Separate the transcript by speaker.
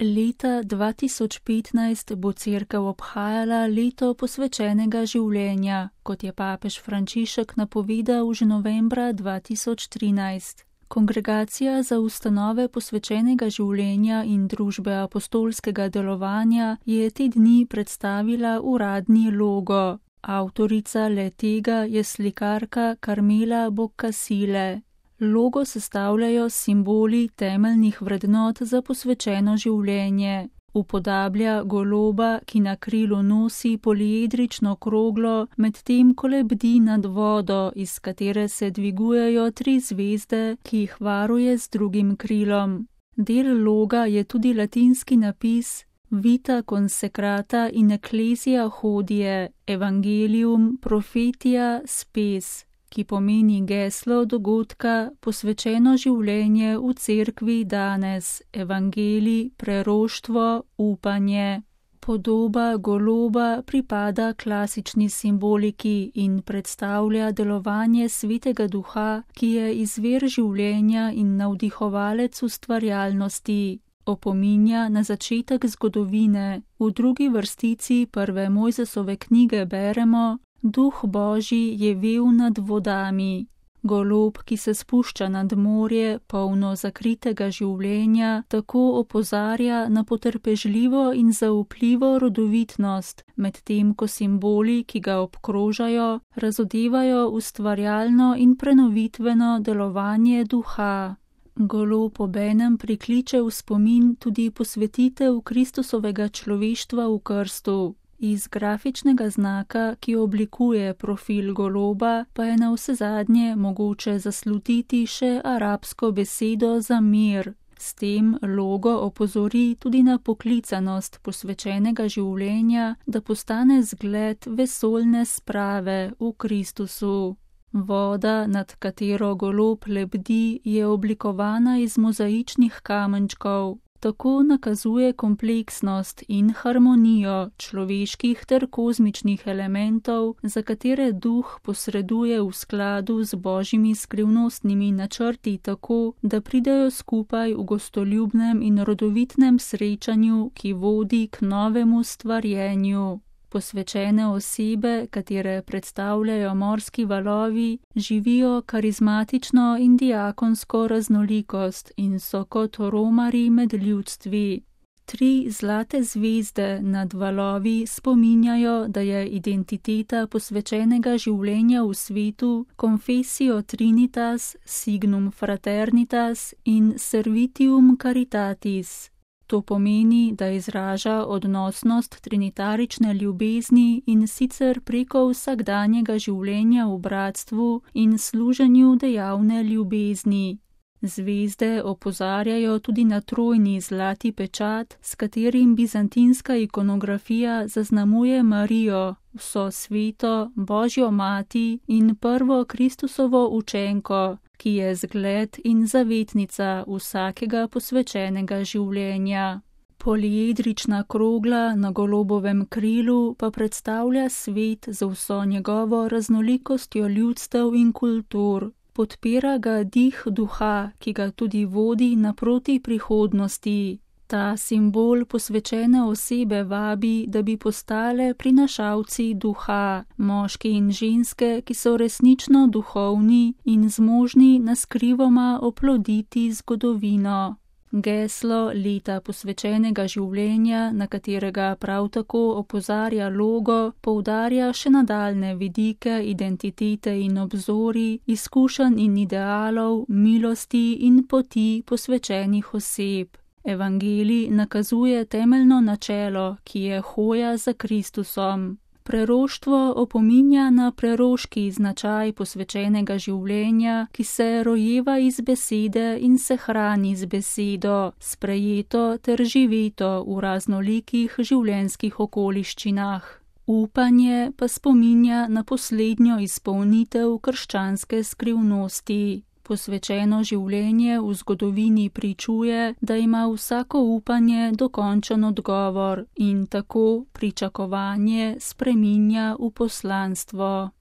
Speaker 1: Leta 2015 bo Cerkev obhajala leto posvečenega življenja, kot je papež Frančišek napovedal že novembra 2013. Kongregacija za ustanove posvečenega življenja in družbe apostolskega delovanja je te dni predstavila uradni logo. Avtorica le-tega je slikarka Carmela Boccasile. Logo sestavljajo simboli temeljnih vrednot za posvečeno življenje. Upodablja goloba, ki na krilu nosi poliedrično kroglo, medtem ko lebdi nad vodo, iz katere se dvigujejo 3 zvezde, ki jih varuje z drugim krilom. Del loga je tudi latinski napis Vita consecrata in ecclesia hodie, Evangelium prophetia spes, ki pomeni geslo dogodka posvečeno življenje v cerkvi danes, evangelij, preroštvo, upanje. Podoba goloba pripada klasični simboliki in predstavlja delovanje Svetega Duha, ki je izvir življenja in navdihovalec ustvarjalnosti. Opominja na začetek zgodovine. V drugi vrstici prve Mojzesove knjige beremo: Duh Božji je vel nad vodami. Golob, ki se spušča nad morje, polno zakritega življenja, tako opozarja na potrpežljivo in zaupljivo rodovitnost, medtem ko simboli, ki ga obkrožajo, razodevajo ustvarjalno in prenovitveno delovanje duha. Golob obenem prikliče v spomin tudi posvetitev Kristusovega človeštva v krstu. Iz grafičnega znaka, ki oblikuje profil goloba, pa je navsezadnje mogoče zaslutiti še arabsko besedo za mir. S tem logo opozori tudi na poklicanost posvečenega življenja, da postane zgled vesoljne sprave v Kristusu. Voda, nad katero golob lebdi, je oblikovana iz mozaičnih kamenčkov. Tako nakazuje kompleksnost in harmonijo človeških ter kozmičnih elementov, za katere duh posreduje v skladu z božjimi skrivnostnimi načrti tako, da pridejo skupaj v gostoljubnem in rodovitnem srečanju, ki vodi k novemu stvarjenju. Posvečene osebe, katere predstavljajo morski valovi, živijo karizmatično in diakonsko raznolikost in so kot romarji med ljudstvi. 3 zlate zvezde nad valovi spominjajo, da je identiteta posvečenega življenja v svetu Confessio Trinitas, Signum Fraternitas in Servitium Caritatis. To pomeni, da izraža odnosnost trinitarične ljubezni in sicer preko vsakdanjega življenja v bratstvu in služenju dejavne ljubezni. Zvezde opozarjajo tudi na trojni zlati pečat, s katerim bizantinska ikonografija zaznamuje Marijo, vso sveto, Božjo mati in prvo Kristusovo učenko, ki je zgled in zavetnica vsakega posvečenega življenja. Poliedrična krogla na golobovem krilu pa predstavlja svet z vso njegovo raznolikostjo ljudstev in kultur. Podpira ga dih duha, ki ga tudi vodi naproti prihodnosti. Ta simbol posvečene osebe vabi, da bi postale prinašalci duha, moški in ženske, ki so resnično duhovni in zmožni naskrivoma oploditi zgodovino. Geslo leta posvečenega življenja, na katerega prav tako opozarja logo, poudarja še nadaljne vidike identitete in obzori, izkušenj in idealov, milosti in poti posvečenih oseb. Evangelij nakazuje temeljno načelo, ki je hoja za Kristusom. Preroštvo opominja na preroški značaj posvečenega življenja, ki se rojeva iz besede in se hrani z besedo, sprejeto ter živeto v raznolikih življenjskih okoliščinah. Upanje pa spominja na poslednjo izpolnitev krščanske skrivnosti. Posvečeno življenje v zgodovini pričuje, da ima vsako upanje dokončen odgovor in tako pričakovanje spreminja v poslanstvo.